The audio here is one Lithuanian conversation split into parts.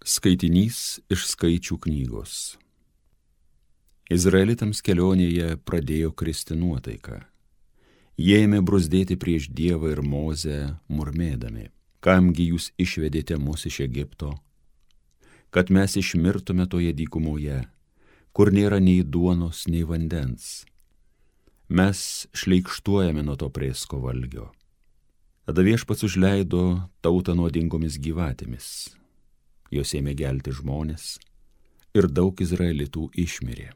Skaitinys iš Skaičių knygos. Izraelitams kelionėje pradėjo kristi nuotaika. Jie ėmė bruzdėti prieš Dievą ir Mozę, murmėdami: kamgi jūs išvedėte mus iš Egipto, kad mes išmirtume toje dykumoje, kur nėra nei duonos, nei vandens. Mes šleikštuojame nuo to prėsko valgio. Tada Viešpats užleido tautą nuodingomis gyvatėmis. Jos ėmė gelti žmonės ir daug izraelitų išmirė.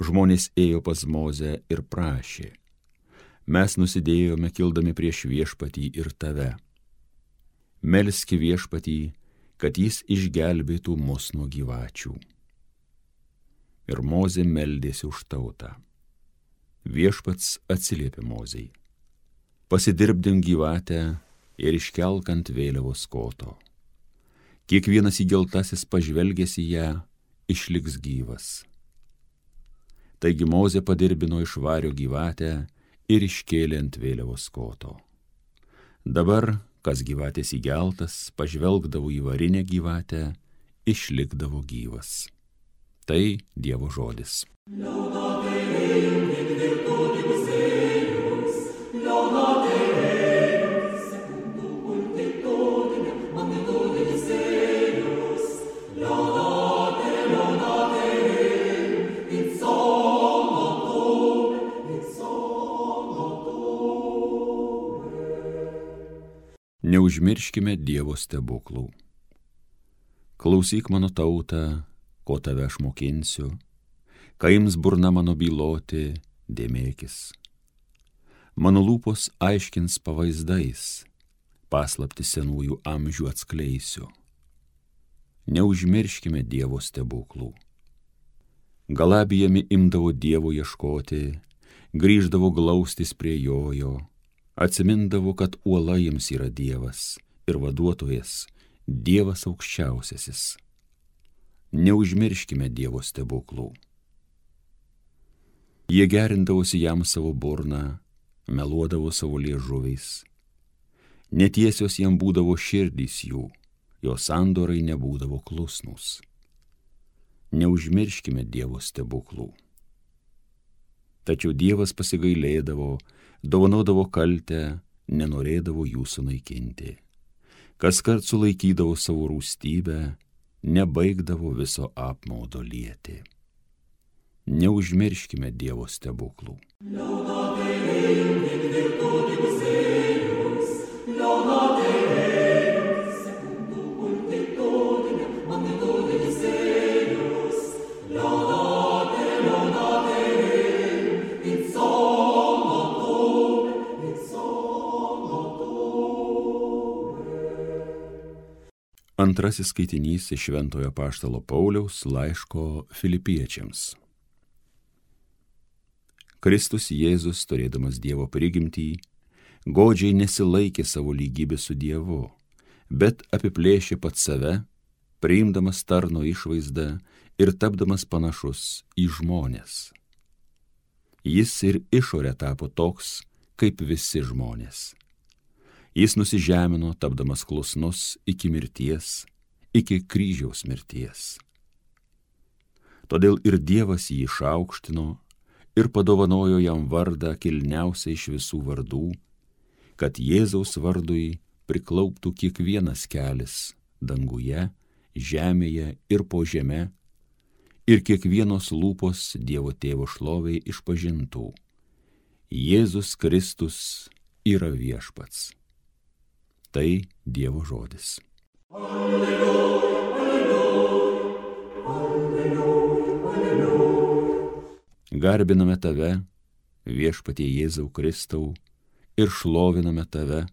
Žmonės ėjo pas Mozę ir prašė: mes nusidėjome kildami prieš Viešpatį ir tave. Melski Viešpatį, kad jis išgelbėtų mus nuo gyvačių. Ir Mozė meldėsi už tautą. Viešpats atsiliepė Mozei: pasidirbdink gyvatę ir iškelk ant vėliavos koto. Kiekvienas įgeltasis pažvelgęs į ją išliks gyvas. Taigi Mozė padirbino iš vario gyvatę ir iškėlė ant vėliavos koto. Dabar, kas gyvatės įgeltas, pažvelgdavo į varinę gyvatę, išlikdavo gyvas. Tai Dievo žodis. Neužmirškime Dievo stebuklų. Klausyk mano tauta, ko tave aš mokinsiu, kai ims burna mano byloti, dėmėkis. Mano lūpos aiškins pavaizdais, paslaptį senųjų amžių atskleisiu. Neužmirškime Dievo stebuklų. Galabijami imdavo Dievo ieškoti, grįždavo glaustis prie jojo, atsimindavo, kad uola jiems yra Dievas ir vaduotojas, Dievas aukščiausiasis. Neužmirškime Dievo stebuklų. Jie gerindavosi jam savo burną, meluodavo savo liežuviais. Netiesios jam būdavo širdys jų, jo sandorai nebūdavo klusnūs. Neužmirškime Dievo stebuklų. Tačiau Dievas pasigailėdavo, dovanodavo kaltę, nenorėdavo jų sunaikinti. Kaskart sulaikydavo savo rūstybę, nebaigdavo viso apmaudo lieti. Neužmirškime Dievo stebuklų. Antrasis skaitinys iš Šventojo apaštalo Pauliaus laiško Filipiečiams. Kristus Jėzus, turėdamas Dievo prigimtį, godžiai nesilaikė savo lygybės su Dievu, bet apiplėšė pats save, priimdamas tarno išvaizdą ir tapdamas panašus į žmones. Jis ir išorė tapo toks, kaip visi žmonės. Jis nusižemino, tapdamas klusnus iki mirties, iki kryžiaus mirties. Todėl ir Dievas jį išaukštino ir padovanojo jam vardą kilniausią iš visų vardų, kad Jėzaus vardui priklauptų kiekvienas kelis danguje, žemėje ir po žeme, ir kiekvienos lūpos Dievo Tėvo šloviai išpažintų: Jėzus Kristus yra viešpats. Tai Dievo žodis. Alleluja, alleluja, alleluja, alleluja. Garbiname tave, Viešpatie Jėzau Kristau, ir šloviname tave,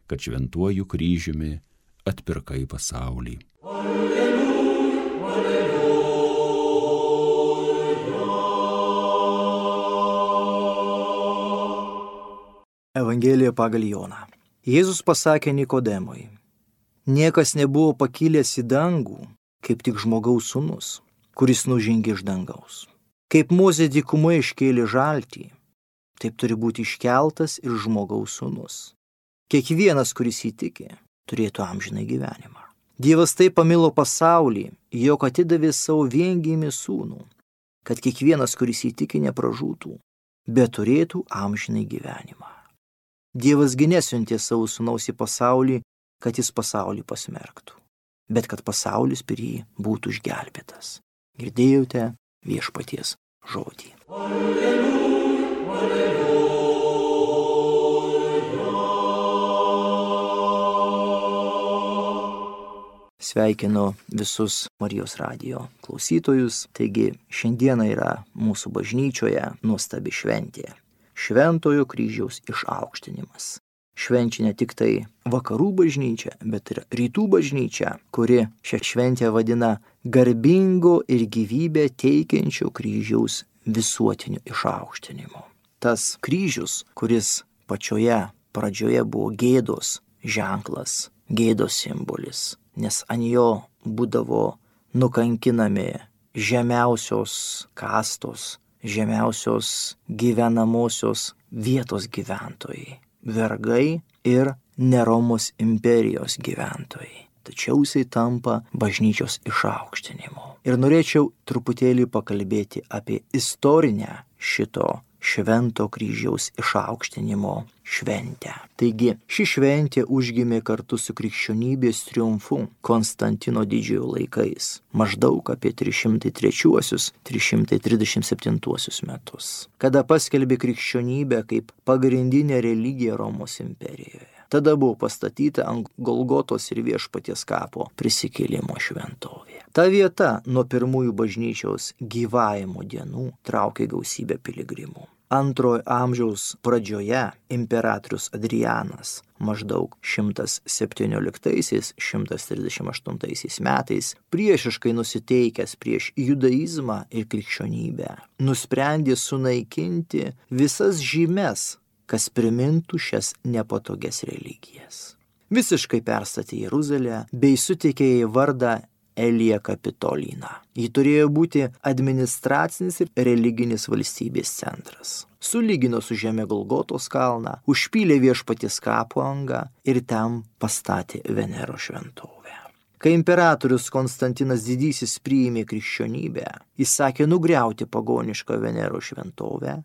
kad šventuoju kryžiumi atpirkai pasaulį. Alleluja, alleluja. Evangelija pagal Joną. Jėzus pasakė Nikodemui: niekas nebuvo pakilęs į dangų, kaip tik žmogaus sūnus, kuris nužengė iš dangaus. Kaip Mozė dykumoje iškėlė žaltį, taip turi būti iškeltas ir žmogaus sūnus. Kiekvienas, kuris įtiki, turėtų amžiną gyvenimą. Dievas taip pamilo pasaulį, jog atidavė savo viengimį sūnų, kad kiekvienas, kuris įtiki, nepražūtų, bet turėtų amžinai gyvenimą. Dievas gi nesiuntė savo sūnaus į pasaulį, kad jis pasaulį pasmerktų, bet kad pasaulis per jį būtų išgelbėtas. Girdėjote Viešpaties žodį. Alleluja, alleluja. Sveikinu visus Marijos radijo klausytojus. Taigi šiandieną yra mūsų bažnyčioje nuostabi šventė. Šventojo kryžiaus išaukštinimas. Švenčia ne tik tai vakarų bažnyčia, bet ir rytų bažnyčia, kuri šią šventę vadina garbingo ir gyvybę teikiančio kryžiaus visuotiniu išaukštinimu. Tas kryžius, kuris pačioje pradžioje buvo gėdos ženklas, gėdos simbolis, nes ant jo būdavo nukankinami žemiausios kastos, žemiausios gyvenamosios vietos gyventojai, vergai ir ne Romos imperijos gyventojai. Tačiau jisai tampa bažnyčios išaukštinimu. Ir norėčiau truputėlį pakalbėti apie istorinę šito švento kryžiaus išaukštinimo šventę. Taigi, ši šventė užgimė kartu su krikščionybės triumfu Konstantino didžiojo laikais, maždaug apie 303-337 metus, kada paskelbė krikščionybę kaip pagrindinę religiją Romos imperijoje. Tada buvo pastatyta ant Golgotos ir Viešpaties kapo prisikėlimo šventovė. Ta vieta nuo pirmųjų bažnyčios gyvavimo dienų traukė gausybę piligrimų. Antrojo amžiaus pradžioje imperatorius Adrianas maždaug 117-138 metais priešiškai nusiteikęs prieš judaizmą ir krikščionybę nusprendė sunaikinti visas žymes, kas primintų šias nepatogias religijas. Visiškai perstatė Jeruzalę bei suteikė jai vardą Elija Kapitolina. Ji turėjo būti administracinis ir religinis valstybės centras. Sulygino su žeme Golgotos kalną, užpylė Viešpaties kapo angą ir ten pastatė Venero šventovę. Kai imperatorius Konstantinas Didysis priėmė krikščionybę, jis sakė nugriauti pagonišką Venero šventovę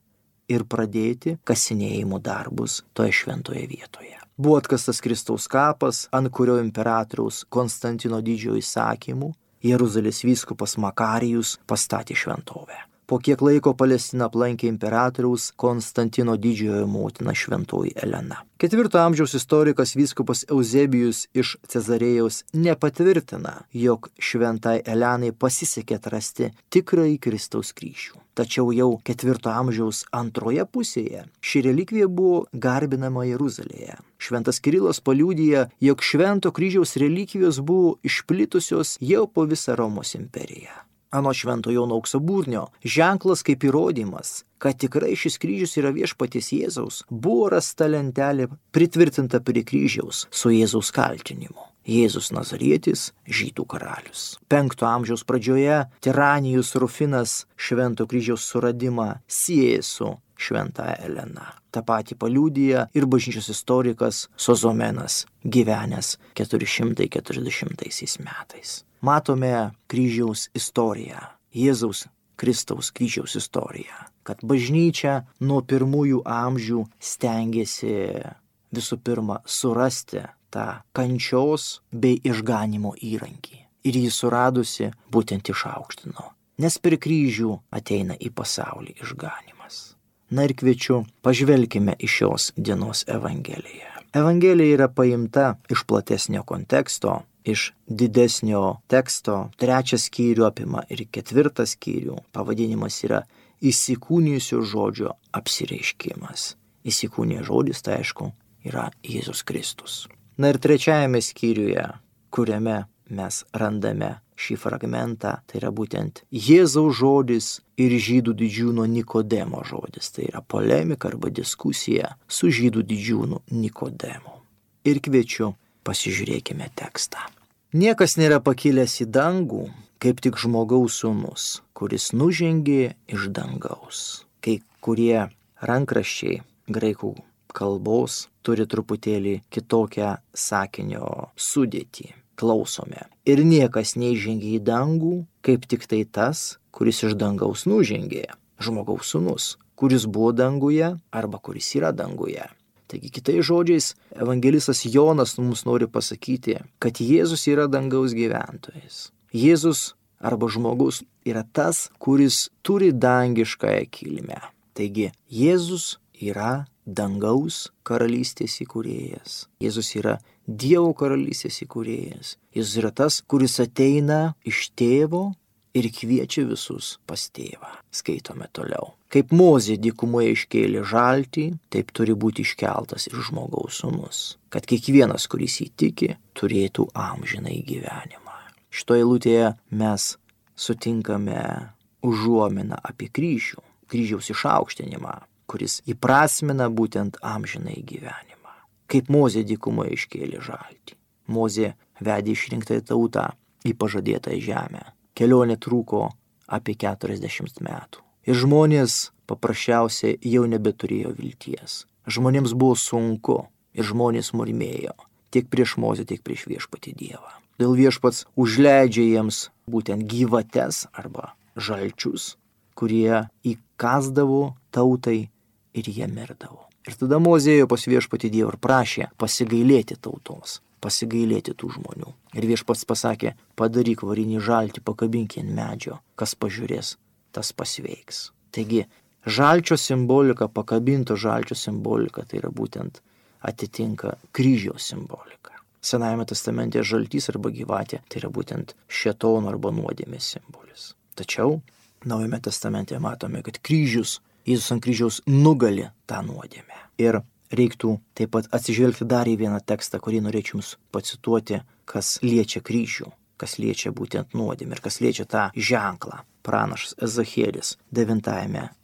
ir pradėti kasinėjimo darbus toje šventoje vietoje. Buvo atkastas Kristaus kapas, ant kurio imperatoriaus Konstantino didžiojo įsakymu Jeruzalės vyskupas Makarijus pastatė šventovę. Po kiek laiko Palestiną aplankė imperatoriaus Konstantino didžiojo motina šventoji Elena. 4 amžiaus istorikas vyskupas Euzebijus iš Cezarėjaus nepatvirtina, jog šventai Elenai pasisekė atrasti tikrąjį Kristaus kryžių. Tačiau jau 4 amžiaus antroje pusėje ši relikvija buvo garbinama Jeruzalėje. Šventas Kirilas paliudija, jog švento kryžiaus relikvijos buvo išplitusios jau po visą Romos imperiją. Anot Švento Jono Auksaburnio, ženklas kaip įrodymas, kad tikrai šis kryžius yra Viešpaties Jėzaus, buvo rasta lentelė pritvirtinta prie kryžiaus su Jėzaus kaltinimu. Jėzus Nazarietis, žydų karalius. 5 amžiaus pradžioje Tiranijus Rufinas Švento kryžiaus suradimą sieja su šventąja Elena. Ta pati paliudija ir bažnyčios istorikas Sozomenas, gyvenęs 440 metais. Matome kryžiaus istoriją, Jėzaus Kristaus kryžiaus istoriją, kad bažnyčia nuo pirmųjų amžių stengiasi visų pirma surasti tą kančios bei išganimo įrankį. Ir jį suradusi būtent išaukštino, nes per kryžių ateina į pasaulį išganimas. Na ir kviečiu, pažvelkime į šios dienos Evangeliją. Evangelija yra paimta iš platesnio konteksto, iš didesnio teksto. 3 skyrių apima ir 4 skyrių. Pavadinimas yra įsikūnijusio žodžio apsireiškimas. Įsikūnijęs žodis, tai aišku, yra Jėzus Kristus. Na ir 3 skyriuje, kuriame mes randame šį fragmentą, tai yra būtent Jėzaus žodis ir žydų didžiūno Nikodemo žodis. Tai yra polemika arba diskusija su žydų didžiūnu Nikodemu. Ir kviečiu, pasižiūrėkime tekstą. Niekas nėra pakilęs į dangų, kaip tik žmogaus sūnus, kuris nužengė iš dangaus. Kai kurie rankraščiai graikų kalbos turi truputėlį kitokią sakinio sudėtį. klausome. Ir niekas neįžengė į dangų, kaip tik tai tas, kuris iš dangaus nužengė, žmogaus sūnus, kuris buvo danguje arba kuris yra danguje. Taigi kitais žodžiais, evangelistas Jonas mums nori pasakyti, kad Jėzus yra dangaus gyventojas. Jėzus arba žmogus yra tas, kuris turi dangiškąją kilmę. Taigi Jėzus yra dangaus karalystės įkūrėjas. Jėzus yra Dievo karalystės įkūrėjas. Jėzus yra tas, kuris ateina iš tėvo ir kviečia visus pas tėvą. Skaitome toliau. Kaip Mozė dykumoje iškėlė žaltį, taip turi būti iškeltas ir žmogaus sūnus, kad kiekvienas, kuris įtiki, turėtų amžinąjį gyvenimą. Šitoje eilutėje mes sutinkame užuominą apie kryžių, kryžiaus išaukštinimą, kuris įprasmina būtent amžinąjį gyvenimą. Kaip Mozė dykumoje iškėlė žaltį. Mozė vedė išrinktąją tautą į pažadėtą žemę. Kelionė truko apie 40 metų. Ir žmonės paprasčiausiai jau nebeturėjo vilties. Žmonėms buvo sunku ir žmonės murmėjo tiek prieš Mozę, tiek prieš viešpatį Dievą. Dėl viešpats užleidžia jiems būtent gyvates arba žalčius, kurie įkasdavo tautai ir jie mirdavo. Ir tada Mozė ėjo pas viešpatį Dievą ir prašė pasigailėti tautos, pasigailėti tų žmonių. Ir viešpats pasakė, padaryk varinį žaltį, pakabink ant medžio, kas pažiūrės, tas pasveiks. Taigi, žalčio simbolika, pakabinto žalčio simbolika, tai yra būtent atitinka kryžiaus simbolika. Senajame testamente žaltys arba gyvatė, tai yra būtent šėtono arba nuodėmės simbolis. Tačiau, Naujame testamente matome, kad kryžius, Jėzus ant kryžiaus nugali tą nuodėmę. Ir reiktų taip pat atsižvelgti dar į vieną tekstą, kurį norėčiau jums pacituoti, kas liečia kryžių, kas liečia būtent nuodėmę ir kas liečia tą ženklą. Pranašas Ezachielis 9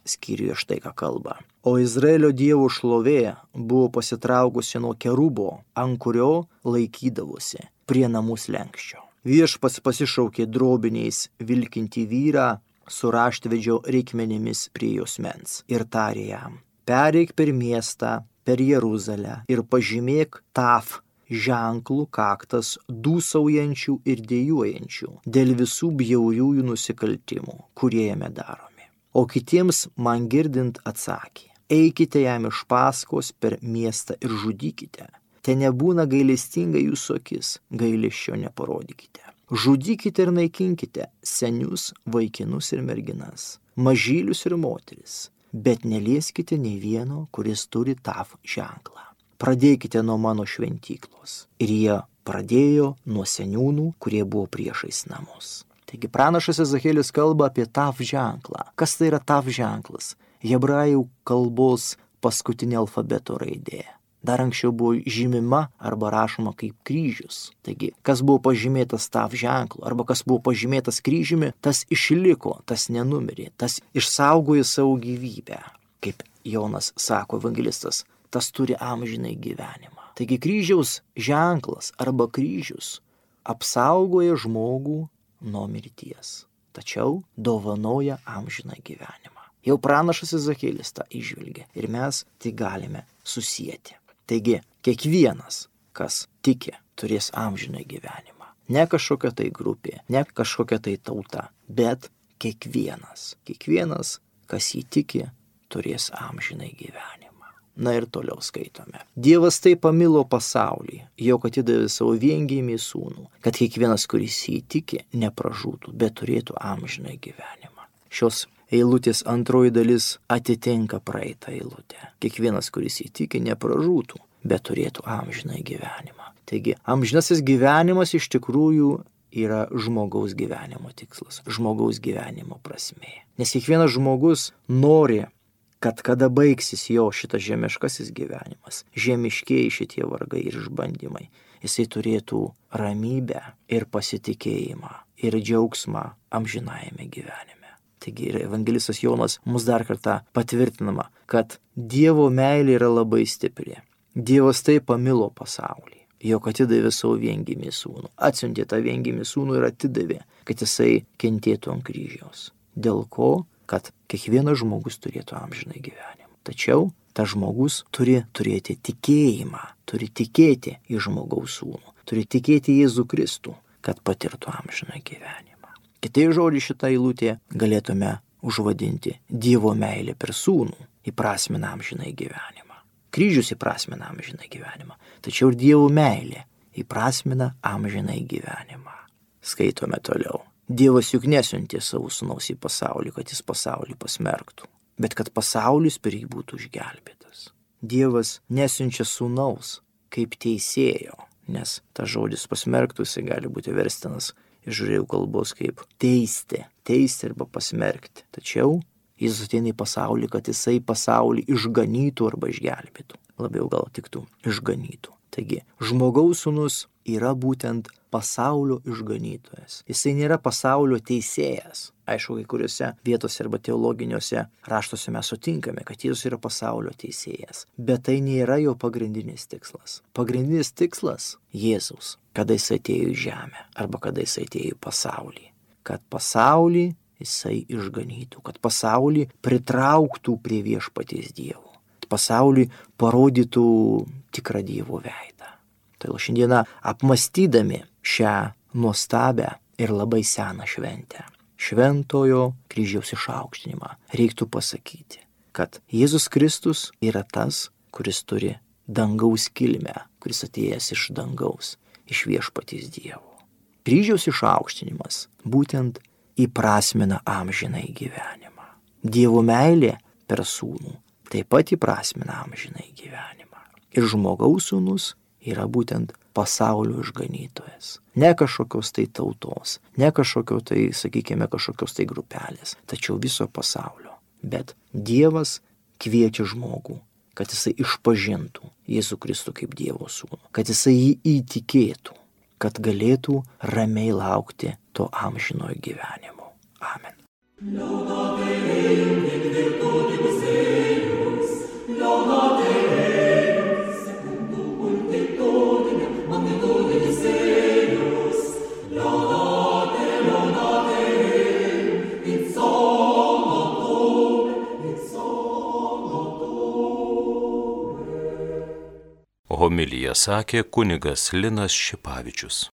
skyriuje štai ką kalba. O Izraelio Dievo šlovė buvo pasitraukusi nuo kerubo, ant kurio laikydavosi prie namų slenksčio. Viešpats pasišaukė drobiniais vilkinti vyrą su raštvedžio reikmenimis prie jos mens ir tarė jam, pereik per miestą, per Jeruzalę ir pažymėk Taf ženklų kaktas dūsaujančių ir dejuojančių dėl visų bjauriųjų nusikaltimų, kurie jame daromi. O kitiems man girdint atsakė, eikite jam iš paskos per miestą ir žudykite. Te nebūna gailestinga jūsų akis, gailesčio neparodykite. Žudykite ir naikinkite senius, vaikinus ir merginas, mažylius ir moteris, bet nelieskite nei vieno, kuris turi Taf ženklą. Pradėkite nuo mano šventyklos. Ir jie pradėjo nuo seniūnų, kurie buvo priešais namus. Taigi pranašas Ezachielis kalba apie Taf ženklą. Kas tai yra Taf ženklas? Hebrajų kalbos paskutinė alfabeto raidė. Dar anksčiau buvo žymima arba rašoma kaip kryžius. Taigi, kas buvo pažymėtas Taf ženklu arba kas buvo pažymėtas kryžiumi, tas išliko, tas nenumirė, tas išsaugojo savo gyvybę. Kaip Jonas sako evangelistas, tas turi amžinai gyvenimą. Taigi kryžiaus ženklas arba kryžius apsaugoja žmogų nuo mirties, tačiau dovanoja amžiną gyvenimą. Jau pranašas Ezachielis tą įžvelgia ir mes tai galime susijęti. Taigi, kiekvienas, kas tiki, turės amžiną gyvenimą. Ne kažkokia tai grupė, ne kažkokia tai tauta, bet kiekvienas, kas jį tiki, turės amžinai gyvenimą. Na ir toliau skaitome. Dievas taip pamilo pasaulį, jog atidavė savo viengimį sūnų, kad kiekvienas, kuris jį tiki, nepražūtų, bet turėtų amžinai gyvenimą. Šios eilutės antroji dalis atitinka praeitą eilutę. Kiekvienas, kuris įtiki, nepražūtų, bet turėtų amžinai gyvenimą. Taigi, amžinasis gyvenimas iš tikrųjų yra žmogaus gyvenimo tikslas, žmogaus gyvenimo prasmė. Nes kiekvienas žmogus nori, kad kada baigsis jo šitas žemiškasis gyvenimas, žemiškieji šitie vargai ir išbandymai, jisai turėtų ramybę ir pasitikėjimą ir džiaugsmą amžinajame gyvenime. Taigi ir evangelistas Jonas mus dar kartą patvirtinama, kad Dievo meilė yra labai stipri. Dievas taip pamilo pasaulį, jog atidavė savo viengimį sūnų. Atsiuntė tą viengimį sūnų ir atidavė, kad jisai kentėtų ant kryžiaus. Dėl ko? Kad kiekvienas žmogus turėtų amžinai gyvenimą. Tačiau tas žmogus turi turėti tikėjimą, turi tikėti į žmogaus sūnų, turi tikėti Jėzų Kristų, kad patirtų amžiną gyvenimą. Kitai žodžiai šitą eilutę galėtume užvadinti Dievo meilė per sūnų įprasmina amžinai gyvenimą. Kryžius įprasmina amžinai gyvenimą, tačiau ir Dievo meilė įprasmina amžinai gyvenimą. Skaitome toliau. Dievas juk nesiuntė savo sūnaus į pasaulį, kad jis pasaulį pasmerktų, bet kad pasaulis per jį būtų išgelbėtas. Dievas nesiunčia sūnaus kaip teisėjo, nes tas žodis pasmerktų jisai gali būti verstinas iš žydų kalbos kaip teisti arba pasmerkti. Tačiau Jėzus ateina į pasaulį, kad jisai pasaulį išganytų arba išgelbėtų. Labiau gal tiktų išganytų. Taigi, žmogaus sūnus yra būtent pasaulio išganytojas. Jisai nėra pasaulio teisėjas. Aišku, kai kuriuose vietose arba teologiniuose raštuose mes sutinkame, kad Jėzus yra pasaulio teisėjas. Bet tai nėra jo pagrindinis tikslas. Pagrindinis tikslas Jėzaus, kada jisai atėjo į žemę arba kada jisai atėjo į pasaulį. Kad pasaulį jisai išganytų, kad pasaulį pritrauktų prie viešpaties Dievo. Pasauliui parodytų tikrą Dievo veidą. Tai šiandieną apmastydami šią nuostabią ir labai seną šventę, šventojo kryžiaus išaukštinimą, reiktų pasakyti, kad Jėzus Kristus yra tas, kuris turi dangaus kilmę, kuris atėjęs iš dangaus, iš viešpaties Dievo. Kryžiaus išaukštinimas būtent įprasmina amžinai gyvenimą. Dievo meilė per sūnų taip pat įprasmina amžinai gyvenimą. Ir žmogaus sūnus yra būtent pasaulio išganytojas. Ne kažkokios tai tautos, ne kažkokios tai, sakykime, kažkokios tai grupelės, tačiau viso pasaulio. Bet Dievas kviečia žmogų, kad jisai išpažintų Jėzų Kristų kaip Dievo sūnų, kad jisai jį įtikėtų, kad galėtų ramiai laukti to amžinojo gyvenimo. Amen. Homiliją sakė kunigas Linas Šipavičius.